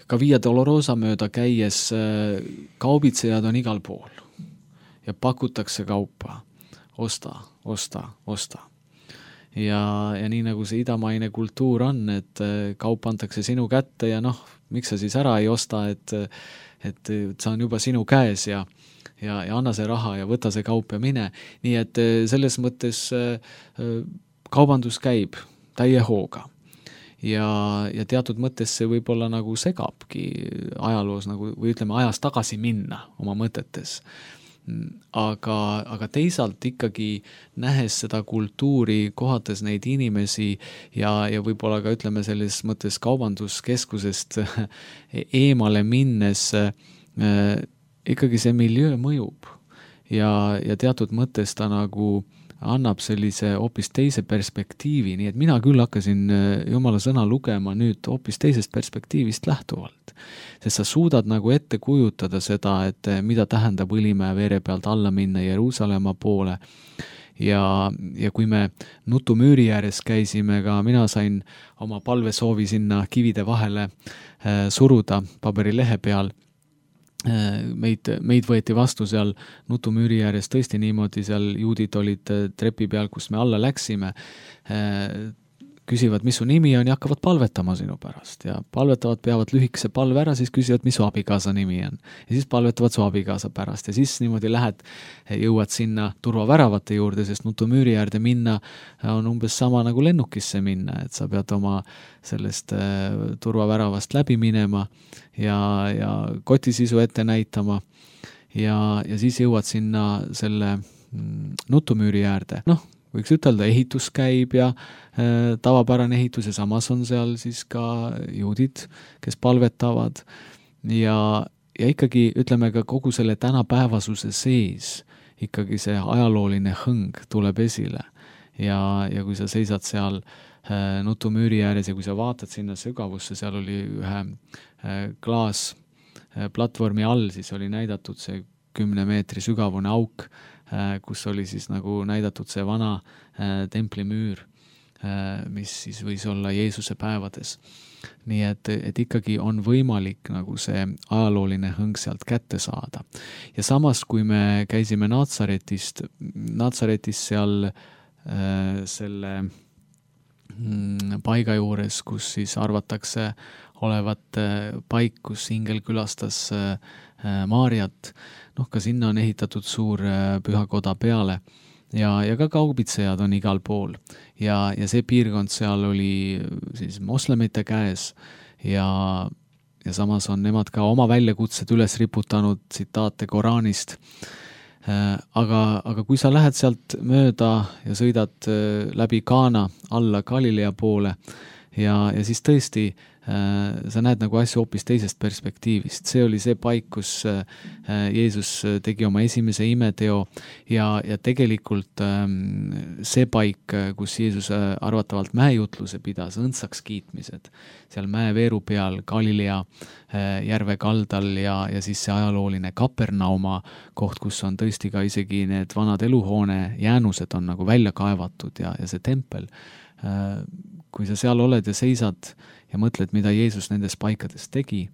ka Via Dolorosa mööda käies, kaubitsejad on igal pool ja pakutakse kaupa, osta, osta, osta. Ja, ja nii nagu see idamaine kultuur on, et kaup antakse sinu kätte ja noh, miks sa siis ära ei osta, et, et see on juba sinu käes ja Ja, ja anna see raha ja võta see kaup ja mine. Nii et selles mõttes kaubandus käib täie hooga. Ja, ja teatud mõttes see võib-olla nagu segabki ajaloos nagu, või ütleme ajas tagasi minna oma mõtetes. Aga, aga teisalt ikkagi nähes seda kultuuri, kohates neid inimesi ja, ja võib-olla ka ütleme selles mõttes kaubanduskeskusest eemale minnes ikkagi see miljöö mõjub ja, ja teatud mõttes ta nagu annab sellise hoopis teise perspektiivi, nii et mina küll hakkasin Jumala sõna lugema nüüd hoopis teisest perspektiivist lähtuvalt. Sest sa suudad nagu ette kujutada seda, et mida tähendab Õlimäe veere pealt alla minna Jeruusalemma poole ja, ja kui me Nutu müüri ääres käisime ka, mina sain oma palvesoovi sinna kivide vahele äh, suruda paberilehe peal. Meid, meid võeti vastu seal Nutu müüri ääres tõesti niimoodi, seal juudid olid trepi peal, kus me alla läksime, küsivad, mis su nimi on ja hakkavad palvetama sinu pärast ja palvetavad, peavad lühikese palve ära, siis küsivad, mis su abikaasa nimi on ja siis palvetavad su abikaasa pärast ja siis niimoodi lähed, jõuad sinna turvaväravate juurde, sest Nutu müüri äärde minna on umbes sama nagu lennukisse minna, et sa pead oma sellest turvaväravast läbi minema ja, ja kotisisu ette näitama ja, ja siis jõuad sinna selle Nutu müüri äärde. Noh, võiks ütelda, ehitus käib ja äh, tavapärane ehitus ja samas on seal siis ka juudid, kes palvetavad ja, ja ikkagi ütleme ka kogu selle tänapäevasuse sees ikkagi see ajalooline hõng tuleb esile ja, ja kui sa seisad seal äh, Nutu müüri ääres ja kui sa vaatad sinna sügavusse, seal oli ühe äh, klaas äh, platvormi all, siis oli näidatud see kümne meetri sügavune auk, kus oli siis nagu näidatud see vana äh, templimüür, äh, mis siis võis olla Jeesuse päevades. Nii et, et ikkagi on võimalik nagu see ajalooline hõng sealt kätte saada. Ja samas, kui me käisime Natsaretist, Natsaretist seal äh, selle mm, paiga juures, kus siis arvatakse olevat äh, paik, kus ingel külastas äh, Maarjat, noh, ka sinna on ehitatud suur pühakoda peale ja, ja ka kaubitsejad on igal pool ja, ja see piirkond seal oli siis moslemite käes ja, ja samas on nemad ka oma väljakutsed üles riputanud tsitaate Koraanist. Aga, aga kui sa lähed sealt mööda ja sõidad läbi Kaana alla Galilea poole ja, ja siis tõesti sa näed nagu asju hoopis teisest perspektiivist. See oli see paik, kus Jeesus tegi oma esimese imeteo ja, ja tegelikult see paik, kus Jeesus arvatavalt mäejutluse pidas, õndsaks kiitmised, seal mäeveeru peal Galilea järve kaldal ja, ja siis see ajalooline Kapernauma koht, kus on tõesti ka isegi need vanad eluhoone jäänused on nagu välja kaevatud ja, ja see tempel. Kui sa seal oled ja seisad ja mõtled, mida Jeesus nendes paikades tegi,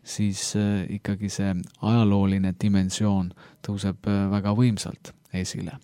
siis ikkagi see ajalooline dimensioon tõuseb väga võimsalt esile.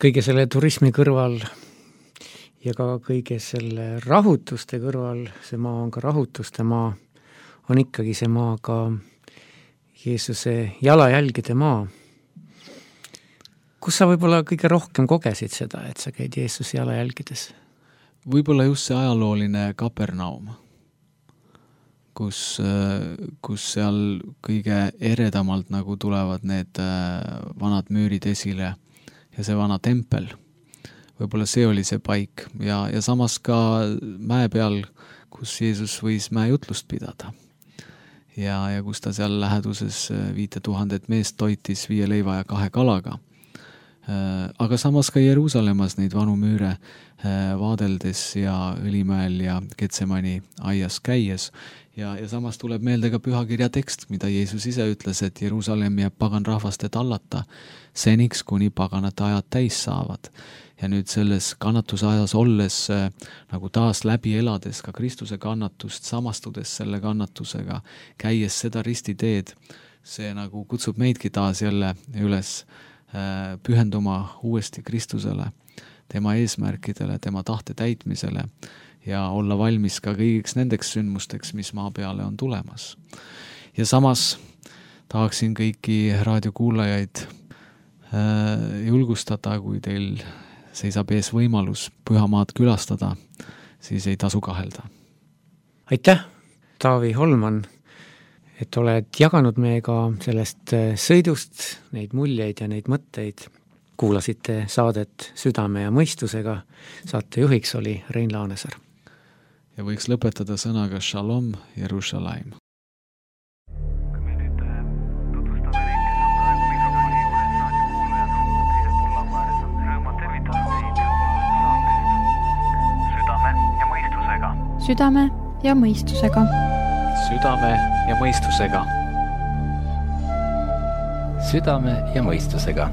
kõige selle turismi kõrval ja ka kõige selle rahutuste kõrval, see maa on ka rahutuste maa, on ikkagi see maa ka Jeesuse jalajälgide maa. Kus sa võib-olla kõige rohkem kogesid seda, et sa käid Jeesuse jalajälgides? Võib-olla just see ajalooline Kapernaum, kus, kus seal kõige eredamalt nagu tulevad need vanad müürid esile ja see vana tempel. Võib-olla see oli see paik ja, ja samas ka mäe peal, kus Jeesus võis mäejutlust pidada. Ja, ja kus ta seal läheduses viite tuhandet meest toitis viie leiva ja kahe kalaga. Aga samas ka Jeruusalemmas neid vanu müüre vaadeldes ja Õlimäel ja Getsemani aias käies. Ja, ja samas tuleb meelde ka pühakirja tekst, mida Jeesus ise ütles, et Jeruusalemm jääb pagan rahvaste tallata seniks, kuni paganate ajad täis saavad. Ja nüüd selles kannatuse ajas olles nagu taas läbi elades ka Kristuse kannatust, samastudes selle kannatusega, käies seda ristiteed, see nagu kutsub meidki taas jälle üles pühenduma uuesti Kristusele, tema eesmärkidele, tema tahte täitmisele ja olla valmis ka kõigiks nendeks sündmusteks, mis maa peale on tulemas. Ja samas tahaksin kõiki raadiokuulajaid julgustada, kui teil seisab ees võimalus pühamaad külastada, siis ei tasu kahelda. Aitäh, Taavi Holman, et oled jaganud meiega sellest sõidust, neid muljeid ja neid mõtteid. Kuulasite saadet Südame ja mõistusega. Saate juhiks oli Rein Laanesaar. Ja võiks lõpetada sõnaga Shalom, Jerusalem. Kui me nüüd tutvustame neid, kes on praegu mikrofoni juures raadiokuulajad on teisel pool laua ääres, on rõõma tervitada teid saatest Südame ja mõistusega. Südame ja mõistusega. Südame ja mõistusega. Südame ja mõistusega.